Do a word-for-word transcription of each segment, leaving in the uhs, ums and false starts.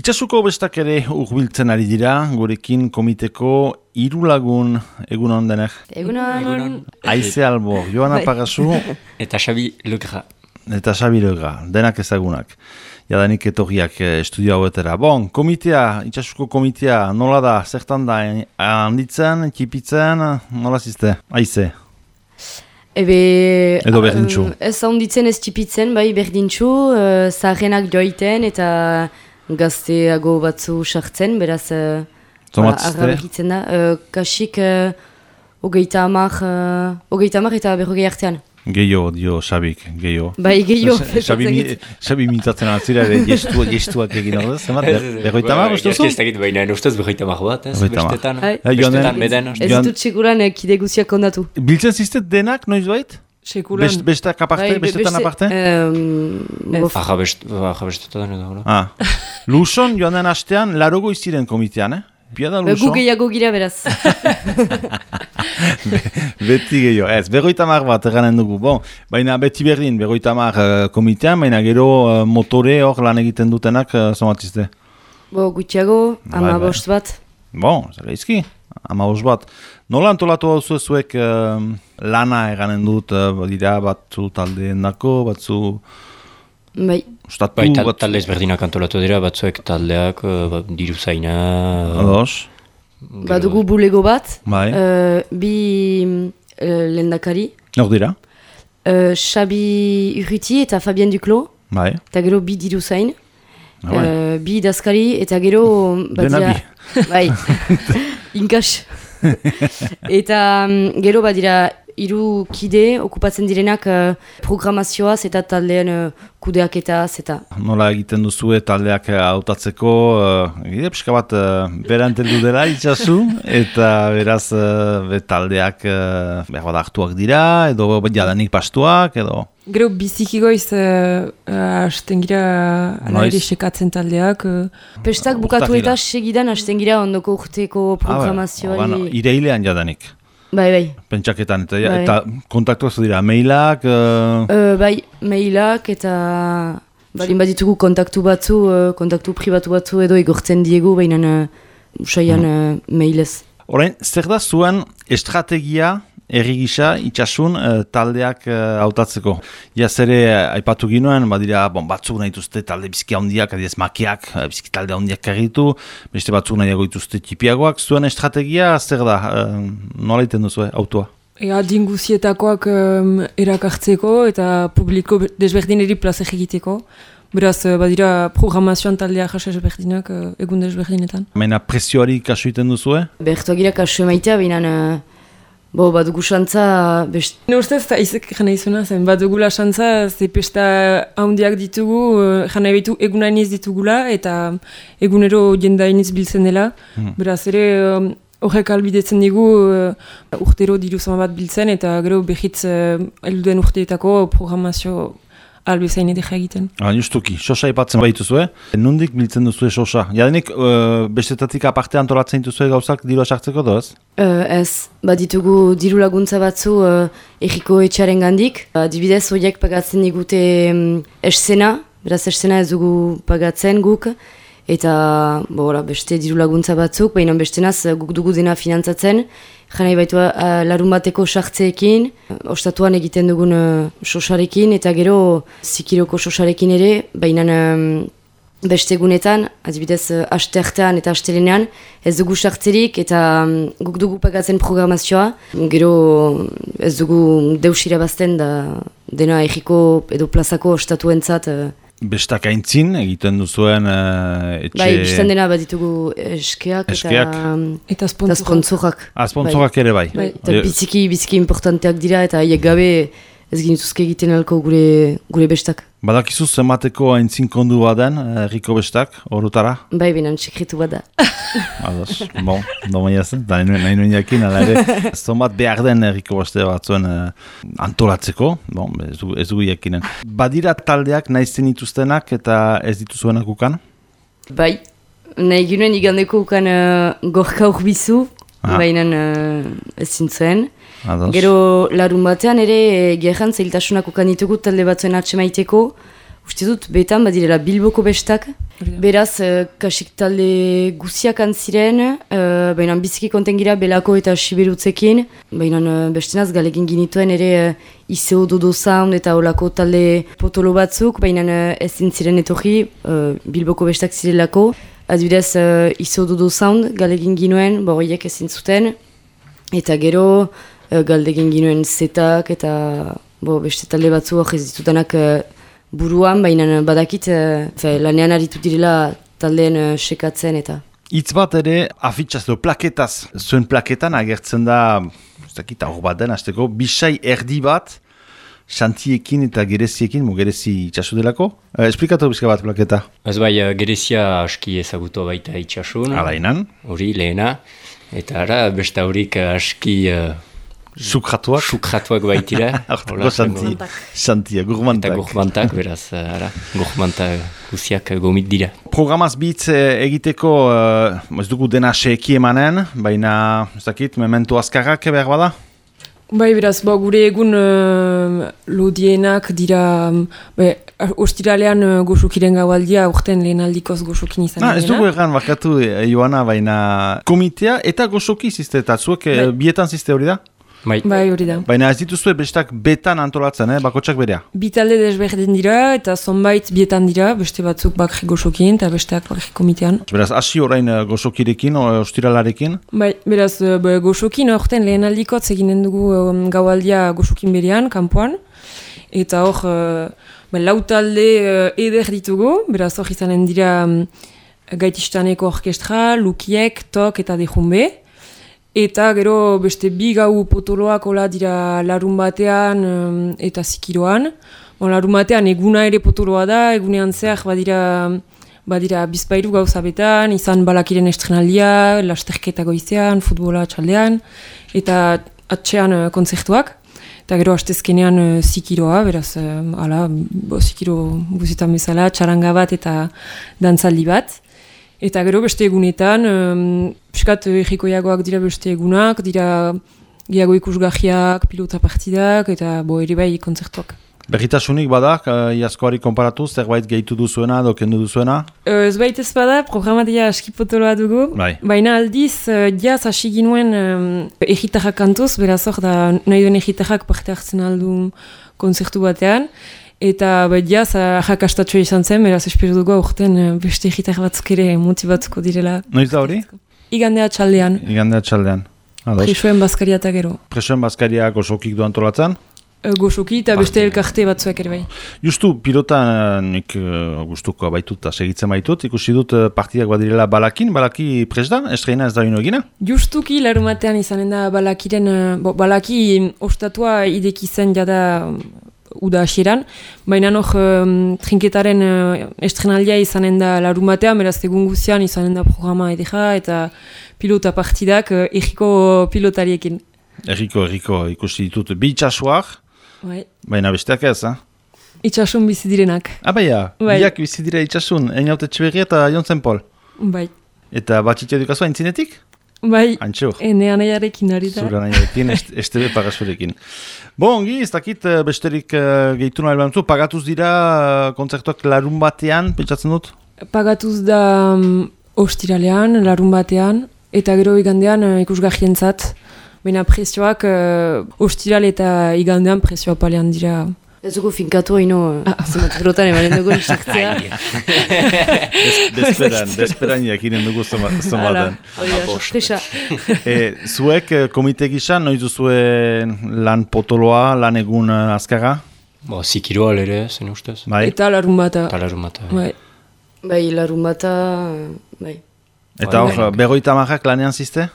Itsasuko bestak ere urbiltzen ari dira, gurekin komiteko hiru lagun egunon denek. Egunon. Aize Albor, Joana Pagasu. Eta Xabi Legra. Eta Xabi Legra, denak ezagunak. Jadanik etorriak estudio hauetera. Bon, komitea, itsasuko komitea, nola da, zertan da, handitzen, txipitzen, nola zizte? Aize. Ebe, Edo berdintxu. Um, ez handitzen ez txipitzen, bai berdintxu, uh, zaharrenak joiten eta gazteago batzu sartzen, beraz uh, arra behitzen da. Uh, kasik uh, hogeita hamar, uh, hogeita hamar eta berrogei artean. Gehiago, dio Xabik, gehiago. Bai, gehiago. Xabi mintzatzen altzira, gestu, gestuak egin ordez, zemat? Berroita hamar, uste zu? Ez dakit baina, ustez berroita hamar bat, ez? Bestetan, bestetan beden. Ez ditut sekuran kide guziak kondatu. Biltzen ziztet denak, noiz bait? Sekuran. Bestak aparte, bestetan aparte? Aja bestetan edo. Luson, joan den astean, larogo iziren komitean, eh? Piada Luson. Gu gehiago gira beraz. Beti gehiago, ez, berroita hamar bat eganen dugu, bon, baina beti berdin, berroita hamar uh, komitean, baina gero uh, motore hor lan egiten dutenak, uh, zomatizte? Bo, gutxiago, ama bost bat. Bon, zer gaizki, ama bost bat. Nola antolatu hau zuek uh, lana eganen dut, uh, dira batzu taldeen dako, batzu... Bai. Ustatu, bai, tal, bat... talde ezberdinak antolatu dira, batzuek taldeak, uh, diru zaina... Ados. Badugu bulego bat, bai. uh, bi uh, lendakari. Nor dira? Uh, Xabi Urruti eta Fabien Duclos. Bai. Eta gero bi diru zain. Ah, bai. uh, bi idazkari eta gero... Dena bi. Bai, inkas. Eta um, gero badira hiru kide okupatzen direnak uh, programazioaz eta taldean uh, kudeaketaz eta... Nola egiten duzue taldeak hautatzeko, uh, egite pixka bat uh, beranteldu dela itxasu, eta beraz uh, be taldeak uh, behar bat hartuak dira, edo jadanik pastuak, edo... Gero biziki goiz uh, uh, hasten gira ala ere sekatzen taldeak. Uh. Pestak bukatu eta segidan hasten gira ondoko urteko programazioari... Ah, bueno, ireilean jadanik. Bai, bai. Pentsaketan, eta, bai. Eta kontaktuak dira, mailak... Uh... Uh, bai, mailak eta... Balin baditugu kontaktu batzu, uh, kontaktu pribatu batzu edo igortzen diegu, baina uh, usaian uh, mailez. Orain, zer da zuen estrategia herri gisa itxasun uh, taldeak hautatzeko? Uh, Iaz ere aipatu ginoen, badira bon, batzuk nahi dituzte talde bizki handiak, adiez makeak, bizki talde handiak karritu, beste batzuk nahiago dituzte txipiagoak. Zuen estrategia zer da? Uh, nola iten duzu autoa? Ega dinguzietakoak um, erakartzeko eta publiko desberdineri plaza egiteko. Beraz, badira programazioan taldea jasa ezberdinak uh, egun desberdinetan. Maina presioari kasu iten duzue? Bertuak gira kasu emaitea, baina... Uh... Bo, badugu xantza... Best... Ne ustez, eta izek jana izuna zen, badugula xantza, ze pesta handiak ditugu, jana ebitu egunainiz ditugula, eta egunero jendainiz biltzen dela. Hmm. Beraz ere, horrek albidetzen digu uh, urtero diru zama bat biltzen, eta gero behitz uh, elduden urteetako programazio albezain edera egiten. Ah, justuki, sosa ipatzen baituzue. Nondik biltzen duzue sosa? Jadenik, uh, bestetatik aparte antolatzen duzue gauzak dirua sartzeko doaz? Uh, ez, baditugu diru laguntza batzu uh, erriko etxaren gandik. Adibidez, horiek pagatzen digute um, eszena, beraz eszena ez dugu pagatzen guk. Eta bo, beste diru laguntza batzuk, baina bestenaz guk dugu dena finantzatzen. Janai baitu uh, larun bateko sartzeekin, ostatuan egiten dugun uh, sosarekin, eta gero zikiroko sosarekin ere, baina um, beste egunetan, adibidez uh, aste artean eta astelenean, ez dugu sartzerik eta um, guk dugu pagatzen programazioa. Gero ez dugu deus irabazten da dena egiko edo plazako ostatuentzat. Uh, Bestak aintzin egiten duzuen uh, etxe... Bai, biztan dena bat ditugu eskeak, eskeak. Eta, eta sponsorak. Ah, sponsorak bai. Ere bai. bai. Eta biziki, biziki importanteak dira eta haiek gabe ez ginituzke egiten alko gure, gure bestak. Badakizu zemateko aintzin kondu baden, herriko bestak, horretara? Bai, binan sekretu bat da. Ados, bon, domaia zen, da nahi nuen jakin, ala ere, zomat behar den herriko beste batzuen uh, antolatzeko, bon, ez dugu, ez dugu jakinen. Badira taldeak naizten dituztenak eta ez dituzuenak ukan? Bai, nahi ginen igandeko ukan uh, gorka urbizu, ah. baina uh, ez zintzuen. Ados. Gero larun batean ere gerran zailtasunak ukan ditugu talde batzuen atxemaiteko. Uste dut betan badirela Bilboko bestak Beraz, uh, kasik talde guziak antziren, uh, baina biziki konten gira Belako eta Siberutzekin, baina uh, bestenaz galegin ginituen ere uh, Iseo Dodo Sound eta olako talde potolo batzuk, baina uh, ezin ziren etorri, uh, Bilboko bestak zirelako. Adibidez, uh, Iseo Dodo Sound galegin ginuen, bo horiek ezin zuten, eta gero uh, galegin ginuen Zetak eta bo, beste talde batzu hori ez ditudanak uh, buruan, baina badakit uh, lanean aritu direla taldeen uh, sekatzen eta. Itz bat ere, afitxaz edo plaketaz, zuen plaketan agertzen da, ez dakit hor bat den, azteko, bisai erdi bat, xantiekin eta gereziekin, mo gerezi itxasu delako. Eh, esplikatu bizka bat plaketa. Ez bai, gerezia aski ezagutu baita itxasun. Alainan. Hori lehena. Eta ara, beste horik aski... Uh, Sukratuak. Sukratuak baitira. Hortako xanti, xantia, gurmantak. Eta gurmantak, beraz, ara, gurmantak guziak gomit dira. Programaz bitz egiteko, uh, ez dugu dena seki emanen, baina, ez dakit, memento azkarrak behar bada? Bai, beraz, ba, gure egun uh, lodienak dira, be, ostiralean uh, goxokiren gaualdia, urten lehen aldikoz goxokin izan. Ah, ez dugu egan bakatu eh, Joana, baina komitea eta goxoki zizte, eta zuek eh, bietan zizte hori da? Bai. Bai, hori da. Baina ez dituzue bestak betan antolatzen, eh? Bakotsak berea? Bi talde desberdin dira, eta zonbait bietan dira, beste batzuk bakri goxokin, eta besteak bakri komitean. Beraz, hasi orain uh, goxokirekin, o, ostiralarekin? Bai, beraz, uh, goxokin orten lehen aldikotz eginen dugu um, gaualdia goxokin berean, kanpoan, eta hor, uh, ba, lau talde uh, eder ditugu, beraz hor izanen dira um, Gaitistaneko orkestra, Lukiek, Tok eta Dejumbe. Eta gero beste bi gau potoloak hola dira larun batean um, eta zikiroan. Bon, larun batean eguna ere potoloa da, egunean zehar badira, badira bizpairu gauza betan, izan balakiren estrenaldia, lasterketa goizean, futbola txaldean, eta atxean uh, kontzertuak. Eta gero hastezkenean uh, zikiroa, beraz, uh, ala, bo, zikiro guzietan bezala, txaranga bat eta dantzaldi bat. Eta gero beste egunetan, um, piskat egikoiagoak dira beste egunak, dira gehiago ikusgahiak, pilota partidak, eta bo ere bai kontzertuak. Berritasunik badak, uh, iazkoari konparatuz, zerbait gehitu duzuena, edo kendu duzuena? Uh, ez baita ez bada, programatia aski potoloa dugu. Bai. Baina aldiz, uh, jaz hasi ginuen um, egitarrak kantuz, beraz hor da nahi duen egitarrak parte hartzen aldun kontzertu batean. Eta bai, jaz, jakastatxoa izan zen, beraz espero dugu aurten beste egitar batzuk ere motibatuko direla. Noiz da hori? Igandea txaldean. Igandea txaldean. Presoen bazkaria eta gero. Presoen bazkaria goxokik du antolatzen? E, goxoki eta beste elkarte batzuek ere bai. Justu, pilota nik uh, gustuko baitut eta segitzen baitut, ikusi dut uh, partidak badirela Balakin, Balaki pres da, estreina ez da ino egina? Justuki larumatean izanen da Balakiren, bo, Balaki ostatua ideki zen jada uda hasieran, baina nog um, trinketaren uh, estrenaldia izanen da larun batean, beraz egun guzian izanen da programa edera eta pilota partidak uh, egiko pilotariekin. Erriko, erriko, ikusi ditut bi itxasuak, bai. Baina besteak ez, ha? Itxasun bizi direnak. Abaia, bai. Biak bizi dira itxasun, Einaute Txeberria eta Jontzen Pol. Bai. Eta batxitea dukazua entzinetik? Bai, Antxo. ene anaiarekin ari da. Zura anaiarekin, S T B pagasurekin. Bo, ongi, ez dakit besterik uh, gehitu nahi behar pagatuz dira uh, kontzertuak larun batean, pentsatzen dut? Pagatuz da um, ostiralean, larun batean, eta gero igandean uh, ikusgahientzat. Baina prezioak uh, ostiral eta igandean prezioa palean dira. Ez dugu finkatu haino, ah. Zemat grotan emanen dugu nisaktzea. Desperan, desperan jakinen dugu zomaten. e, zuek komite gisa, noiz duzue lan potoloa, lan egun azkara? Bo, zikiroa ere, zen ustez. Bai. Eta larun bata. Eta larun bata. Bai. Bai, larun bata, bai. Eta hor, bai. Berroita marrak lanean zizte?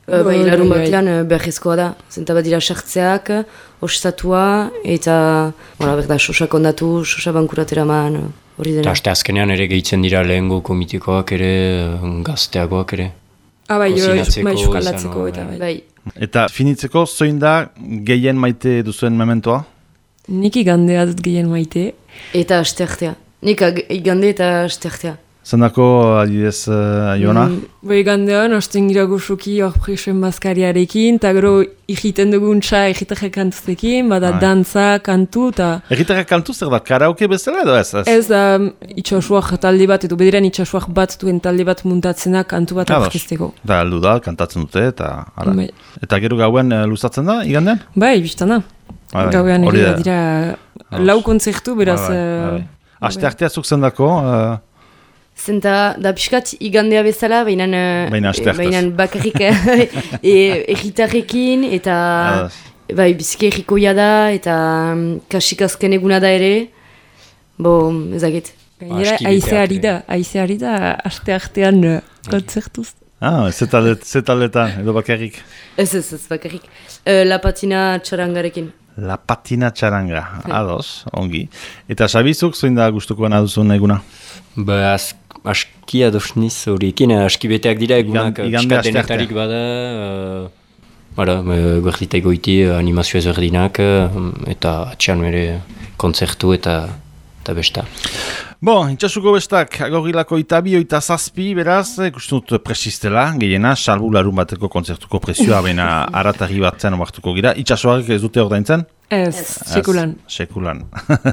Uh, bai, larun batean uh, berrezkoa da. Zenta bat dira sartzeak, ostatua, eta bona, berda, sosak ondatu, sosa bankuratera man, hori dena. Eta aste azkenean ere gehitzen dira lehengo komitikoak ere, gazteagoak ere. Ah, bai, bai, xukalatzeko eta bai. bai. Eta finitzeko, zoin da gehien maite duzuen mementoa? Nik igandea dut gehien maite. Eta asteartea. Nik igande eta asteartea. Zendako, adidez, uh, Iona? Mm. Bai gandean, hasten gira goxoki hor presen bazkariarekin, eta gero egiten dugun txa egitarrak kantuztekin, bada ah. dantza, kantu, eta... Egitarrak kantu zer da, karaoke bezala edo ez? Ez, ez da itxasuak talde bat, edo bederan itxasuak bat duen talde bat muntatzena kantu bat aurkezteko. Da, heldu da, kantatzen dute, eta... Bai. Eta gero gauen uh, luzatzen da, igandean? Bai, biztana. Bai, gauean ere da. Dira lau kontzertu, beraz... Bai, bai, bai. Aste artea zuk zendako... Uh... Zenta, da pixkat igandea bezala, behinan e, bakarrik egitarrekin, e, eta bai, biziki egikoia da, eta kasik azken eguna da ere, bo, ezagit. Gainera, aizeari da, aizeari da, aste artean uh, kontzertuz. Ah, zetaletan, edo bakarrik? Ez, ez, ez, bakarrik. Uh, La Patina Txarangarekin. La Patina Txaranga, ados, ongi. Eta Xabizuk, zoin da gustukoan aduzun eguna? Ba, az, aski adosniz horiekin, aski beteak dira egunak piskat denetarik bada, uh, bara, guerdita egoiti animazio ezberdinak, uh, eta atxean mere kontzertu eta, eta besta. Bon, itxasuko bestak, agorrilako itabi, oita zazpi, beraz, ikustut presistela, gehiena, salbu larun bateko kontzertuko presioa, baina aratari batzen omartuko gira. Itxasuak ez dute ordaintzen? Ez, sekulan. Sekulan.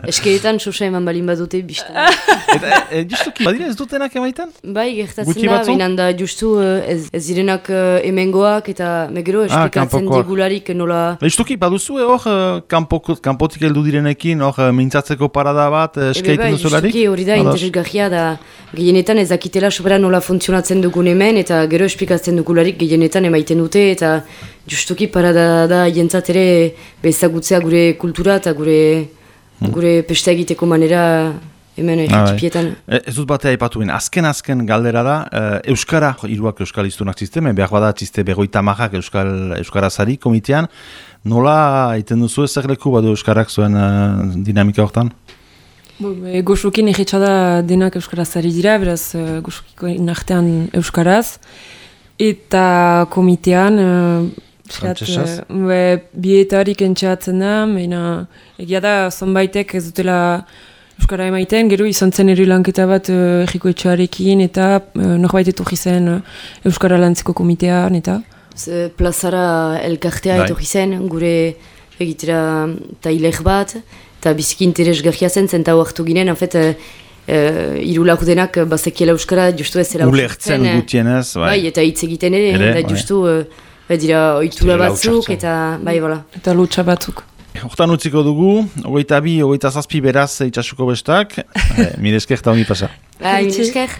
Eskeetan, sosa eman balin badute, biztan. Eta, e, justuki, badira ez dutenak emaiten? Bai, gertatzen da, behinan da, justu ez, ez zirenak uh, emengoak, eta megero esplikatzen ah, digularik nola... Justuki, baduzu, hor, uh, kanpotik heldu direnekin, hor, uh, mintzatzeko parada bat, uh, eskeiten duzularik? Justuki, hori da, interesgarria da, gehienetan ez dakitela sobera nola funtzionatzen dugun hemen, eta gero esplikatzen dugularik gehienetan emaiten dute, eta justuki parada da jentzat ere bezagutzea gure kultura eta gure, hmm. gure pesta egiteko manera hemen egitipietan. Ah, ez dut batea ipatu ben, azken-azken galdera da, uh, Euskara, hiruak Euskal iztunak zizte, behar bada txiste berroita marrak Euskal, Euskarazari komitean, nola egiten duzu ezer leku badu Euskarak zuen uh, dinamika hortan? E, Goxokin egitxada denak Euskarazari dira, beraz uh, Goxokiko inartean Euskaraz, eta komitean... Uh, Frantzesaz? Uh, bietarik entxeatzen da, baina egia da zonbaitek ez dutela Euskara emaiten, gero izan zen ere lanketa bat uh, egiko etxearekin, eta uh, norbait etorri zen uh, Euskara lantzeko komitean, eta... Z, plazara elkartea etorri zen, gure egitera tailer bat, eta biziki interesgarria zen, zenta hartu ginen, en fet, uh, uh, hiru laurdenak bazekiela Euskara, justu ez zela ulertzen gutienez, bai. Bai, eta hitz egiten ere, ere da justu... Uh, Bai dira, oitura batzuk eta bai, bola. Eta lutsa batzuk. Hortan utziko dugu, ogeita bi, ogeita zazpi beraz itxasuko bestak. Mire esker eta ongi pasa. Bai, mire esker.